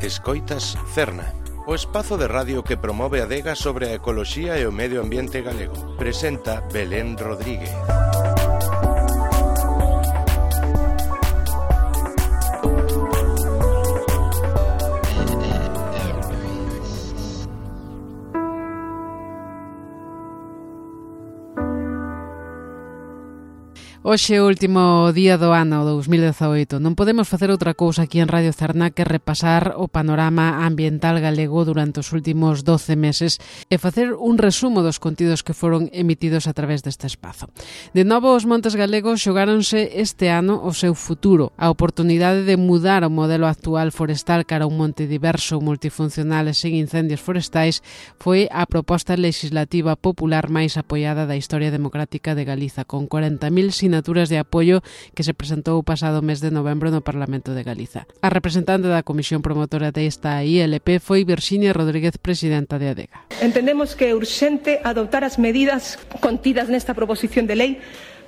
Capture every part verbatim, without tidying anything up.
Escoitas Cerna, o espazo de radio que promove a adega sobre a ecoloxía e o medio ambiente galego. Presenta Belén Rodríguez. Hoxe é o último día do ano dous mil dezaoito. Non podemos facer outra cousa aquí en Radio Cerna que repasar o panorama ambiental galego durante os últimos doce meses e facer un resumo dos contidos que foron emitidos a través deste espazo. De novo, os montes galegos xogáronse este ano o seu futuro. A oportunidade de mudar o modelo actual forestal cara a un monte diverso, multifuncional e sen incendios forestais foi a proposta legislativa popular máis apoiada da historia democrática de Galiza, con corenta mil sinaturas de apoio que se presentou o pasado mes de novembro no Parlamento de Galiza. A representante da Comisión Promotora desta I L P foi Virxinia Rodríguez, presidenta de Adega. Entendemos que é urxente adoptar as medidas contidas nesta proposición de lei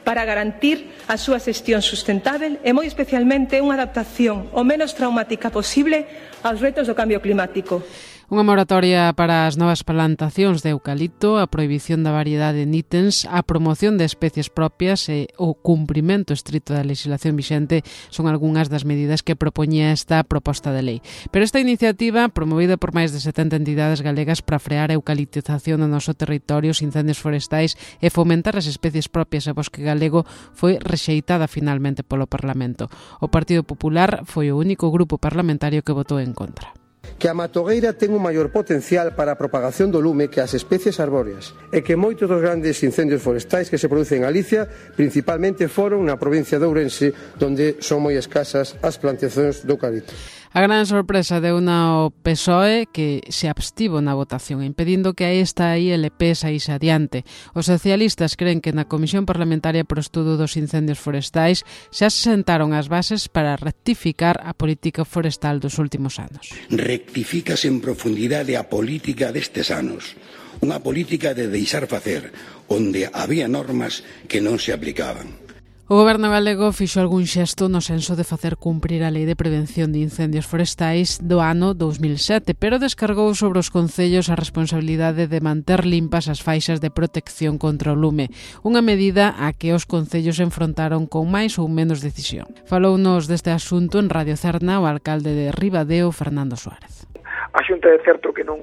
para garantir a súa xestión sustentável e moi especialmente unha adaptación o menos traumática posible aos retos do cambio climático. Unha moratoria para as novas plantacións de eucalipto, a prohibición da variedade de nítens, a promoción de especies propias e o cumprimento estrito da legislación vixente son algunhas das medidas que propoñía esta proposta de lei. Pero esta iniciativa, promovida por máis de setenta entidades galegas para frear a eucaliptización no noso territorio, os incendios forestais e fomentar as especies propias e bosque galego, foi rexeitada finalmente polo Parlamento. O Partido Popular foi o único grupo parlamentario que votou en contra. Que a matogueira ten un maior potencial para a propagación do lume que as especies arbóreas e que moitos dos grandes incendios forestais que se producen en Galicia principalmente foron na provincia de Ourense, onde son moi escasas as plantacións de eucalipto. A gran sorpresa deu na o P S O E, que se abstivo na votación, impedindo que a esta I L P saíse adiante. Os socialistas creen que na Comisión Parlamentaria para o Estudo dos Incendios Forestais xa se sentaron as bases para rectificar a política forestal dos últimos anos. Rectifícase en profundidade a política destes anos. Unha política de deixar facer, onde había normas que non se aplicaban. O Goberno galego fixo algún xesto no senso de facer cumprir a Lei de Prevención de Incendios Forestais do ano dous mil sete, pero descargou sobre os concellos a responsabilidade de manter limpas as faixas de protección contra o lume, unha medida a que os concellos enfrontaron con máis ou menos decisión. Falounos deste asunto en Radio Cerna o alcalde de Ribadeo, Fernando Suárez. A Xunta é certo que non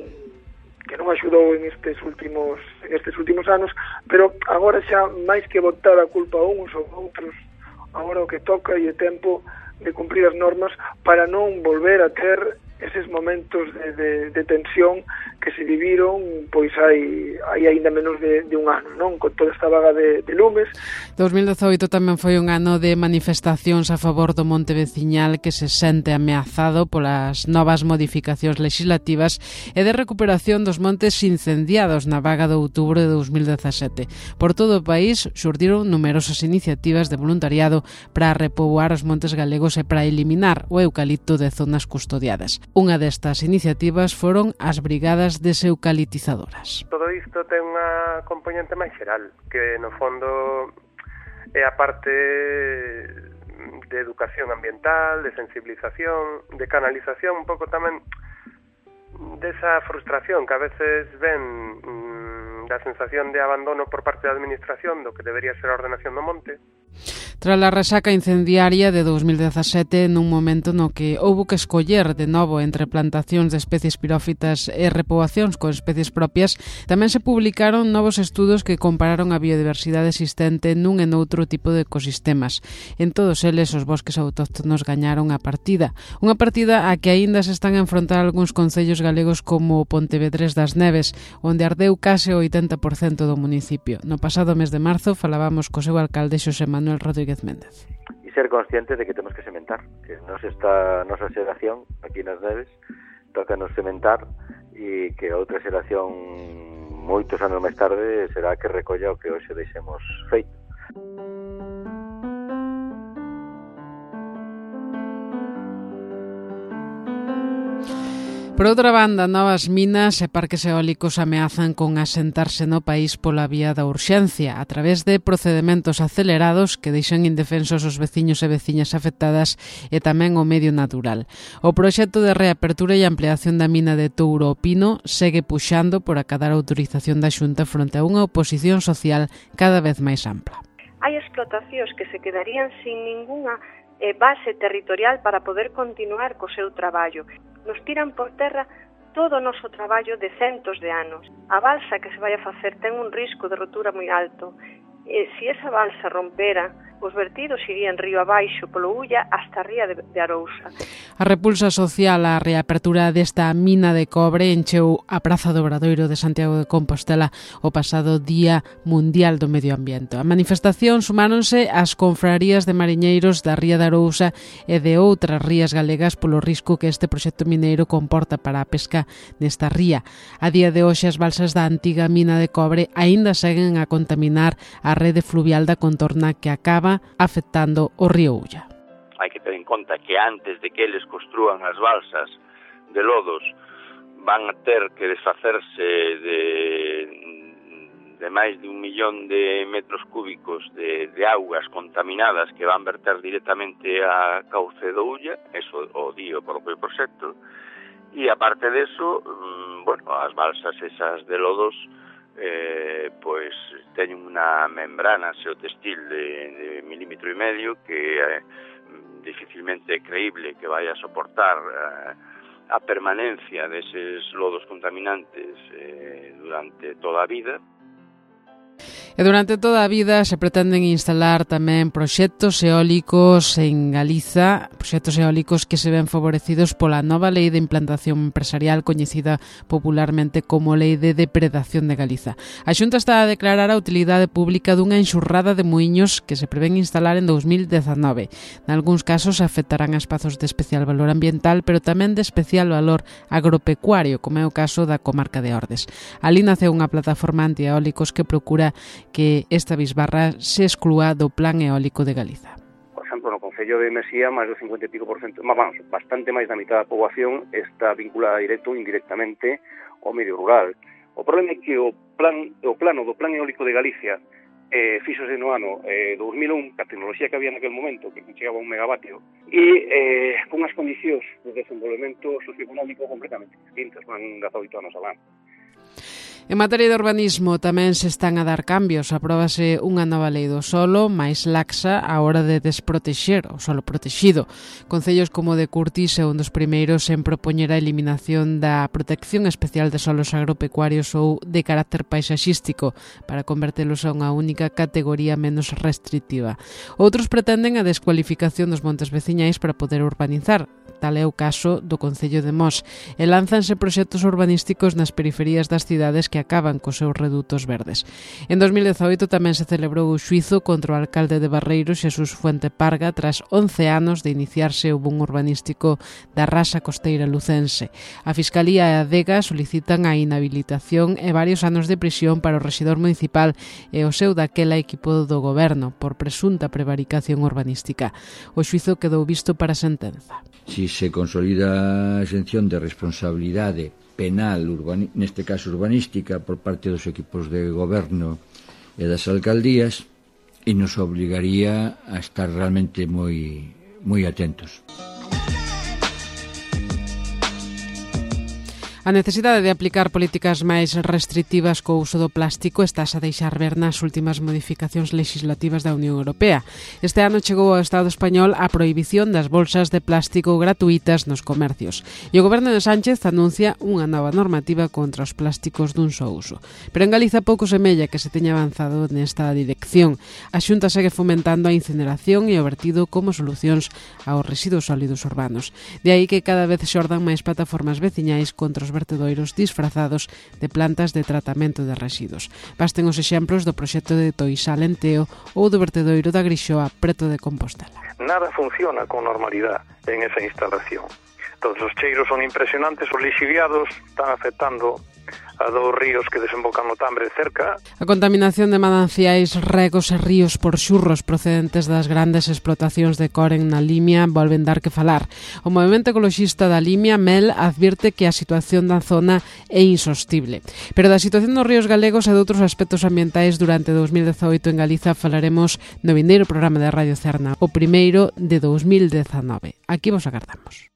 que non axudou en estes últimos en estes últimos anos, pero agora xa máis que botar a culpa a uns ou outros, agora o que toca e é tempo de cumprir as normas para non volver a ter eses momentos de, de, de tensión que se viviron pois hai, hai ainda menos de, de un ano, non? Con toda esta vaga de, de lumes. dous mil dezaoito tamén foi un ano de manifestacións a favor do monte veciñal que se sente ameazado polas novas modificacións legislativas e de recuperación dos montes incendiados na vaga de outubro de dous mil dezasete. Por todo o país xurdiron numerosas iniciativas de voluntariado para repoboar os montes galegos e para eliminar o eucalipto de zonas custodiadas. Unha destas iniciativas foron as brigadas deseucaliptizadoras. Todo isto ten unha componente máis xeral, que no fondo é a parte de educación ambiental, de sensibilización, de canalización, un pouco tamén desa frustración que a veces ven mmm, da sensación de abandono por parte da administración do que debería ser a ordenación do monte. Tras a resaca incendiaria de dous mil dezasete, nun momento no que houbo que escoller de novo entre plantacións de especies pirófitas e repoboacións con especies propias, tamén se publicaron novos estudos que compararon a biodiversidade existente nun e noutro tipo de ecosistemas. En todos eles, os bosques autóctonos gañaron a partida. Unha partida a que aínda se están a enfrontar algúns concellos galegos como Pontevedrés das Neves, onde ardeu case o oitenta por cento do municipio. No pasado mes de marzo falábamos co seu alcalde Xosé Manuel Rodríguez Méndez. E ser conscientes de que temos que sementar, que nos esta nosa xeración aquí nas Neves toca nos sementar e que outra xeración moitos anos máis tarde será que recolla o que hoxe deixemos feito. Por outra banda, novas minas e parques eólicos ameazan con asentarse no país pola vía da urxencia, a través de procedementos acelerados que deixan indefensos os veciños e veciñas afectadas e tamén o medio natural. O proxecto de reapertura e ampliación da mina de Touro o Pino segue puxando por acadar a autorización da Xunta fronte a unha oposición social cada vez máis ampla. Hai explotacións que se quedarían sin ningunha base territorial para poder continuar co seu traballo. Nos tiran por terra todo o noso traballo de centos de anos. A balsa que se vai a facer ten un risco de rotura moi alto. E se esa balsa rompera, os vertidos irían río abaixo polo Ulla hasta a ría de, de Arousa. A repulsa social á reapertura desta mina de cobre encheu a Praza do Obradoiro de Santiago de Compostela o pasado Día Mundial do Medio Ambiente. A manifestación sumáronse as confrarías de mariñeiros da ría de Arousa e de outras rías galegas polo risco que este proxecto mineiro comporta para a pesca nesta ría. A día de hoxe as balsas da antiga mina de cobre aínda seguen a contaminar a rede fluvial da contorna que acaba afectando o río Ulla. Hai que ter en conta que antes de que eles construan as balsas de lodos van a ter que desfacerse de, de máis de un millón de metros cúbicos de, de augas contaminadas que van verter directamente a cauce do Ulla, eso o di o propio proxecto, e aparte deso, bueno, as balsas esas de lodos Eh, pois teñen unha membrana xeotextil de, de milímetro e medio que eh, dificilmente é creíble que vai a soportar eh, a permanencia deses lodos contaminantes eh, durante toda a vida. E durante toda a vida se pretenden instalar tamén proxectos eólicos en Galiza, proxectos eólicos que se ven favorecidos pola nova lei de implantación empresarial coñecida popularmente como Lei de Depredación de Galiza. A Xunta está a declarar a utilidade pública dunha enxurrada de muiños que se prevén instalar en dous mil dezanove. Nalgúns casos afectarán a espazos de especial valor ambiental, pero tamén de especial valor agropecuario, como é o caso da comarca de Ordes. Ali naceu unha plataforma antieólicos que procura que esta bisbarra se exclúa do Plan Eólico de Galiza. Por exemplo, no Concello de Mesía, máis do cincuenta e pico por cento, vamos, bastante máis da mitad da poboación está vinculada directo ou indirectamente ao medio rural. O problema é que o plan o plano do Plan Eólico de Galicia eh, fíxose no ano eh, dous mil un, que a tecnoloxía que había naquel momento, que chegaba a un megavatio, e eh, con as condicións de desenvolvemento socioeconómico completamente distintas, van dezaoito anos alán. En materia de urbanismo tamén se están a dar cambios. Apróbase unha nova lei do solo máis laxa á hora de desprotexer o solo protexido. Concellos como de Curtis é un dos primeiros en propoñer a eliminación da protección especial de solos agropecuarios ou de carácter paisaxístico para convertelos a unha única categoría menos restrictiva. Outros pretenden a descualificación dos montes veciñais para poder urbanizar. Tal é o caso do Concello de Mos, e lánzanse proxectos urbanísticos nas periferías das cidades que acaban cos seus redutos verdes. En dos mil dezaoito tamén se celebrou o xuízo contra o alcalde de Barreiro, Xesús Fuente Parga, tras once anos de iniciarse o boom urbanístico da rasa costeira lucense. A Fiscalía e a Adega solicitan a inhabilitación e varios anos de prisión para o rexedor municipal e o seu daquela equipo do goberno por presunta prevaricación urbanística. O xuízo quedou visto para sentenza. Si se consolida a exención de responsabilidade penal, urbani, neste caso urbanística, por parte dos equipos de goberno e das alcaldías, e nos obligaría a estar realmente moi, moi atentos. A necesidade de aplicar políticas máis restrictivas co uso do plástico está a deixar ver nas últimas modificacións legislativas da Unión Europea. Este ano chegou ao Estado español a prohibición das bolsas de plástico gratuitas nos comercios. E o goberno de Sánchez anuncia unha nova normativa contra os plásticos dun só uso. Pero en Galiza pouco semella que se teña avanzado nesta dirección. A Xunta segue fomentando a incineración e o vertido como solucións aos residuos sólidos urbanos. De aí que cada vez xordan máis plataformas veciñais contra os vertedoiros disfrazados de plantas de tratamento de residuos. Basten os exemplos do proxecto de Toisal en Teo ou do vertedoiro da Grixoa preto de Compostela. Nada funciona con normalidade en esa instalación. Todos os cheiros son impresionantes, os lixiviados están afectando a dous ríos que desembocan no Tambre cerca. A contaminación de mananciais, regos e ríos por xurros procedentes das grandes explotacións de Coren na Limia volven dar que falar. O movemento ecoloxista da Limia, MEL, advirte que a situación da zona é insostible. Pero da situación dos ríos galegos e de outros aspectos ambientais durante dous mil dezaoito en Galiza falaremos no vindeiro programa de Radio Cerna, o primeiro de dous mil dezanove. Aquí vos agardamos.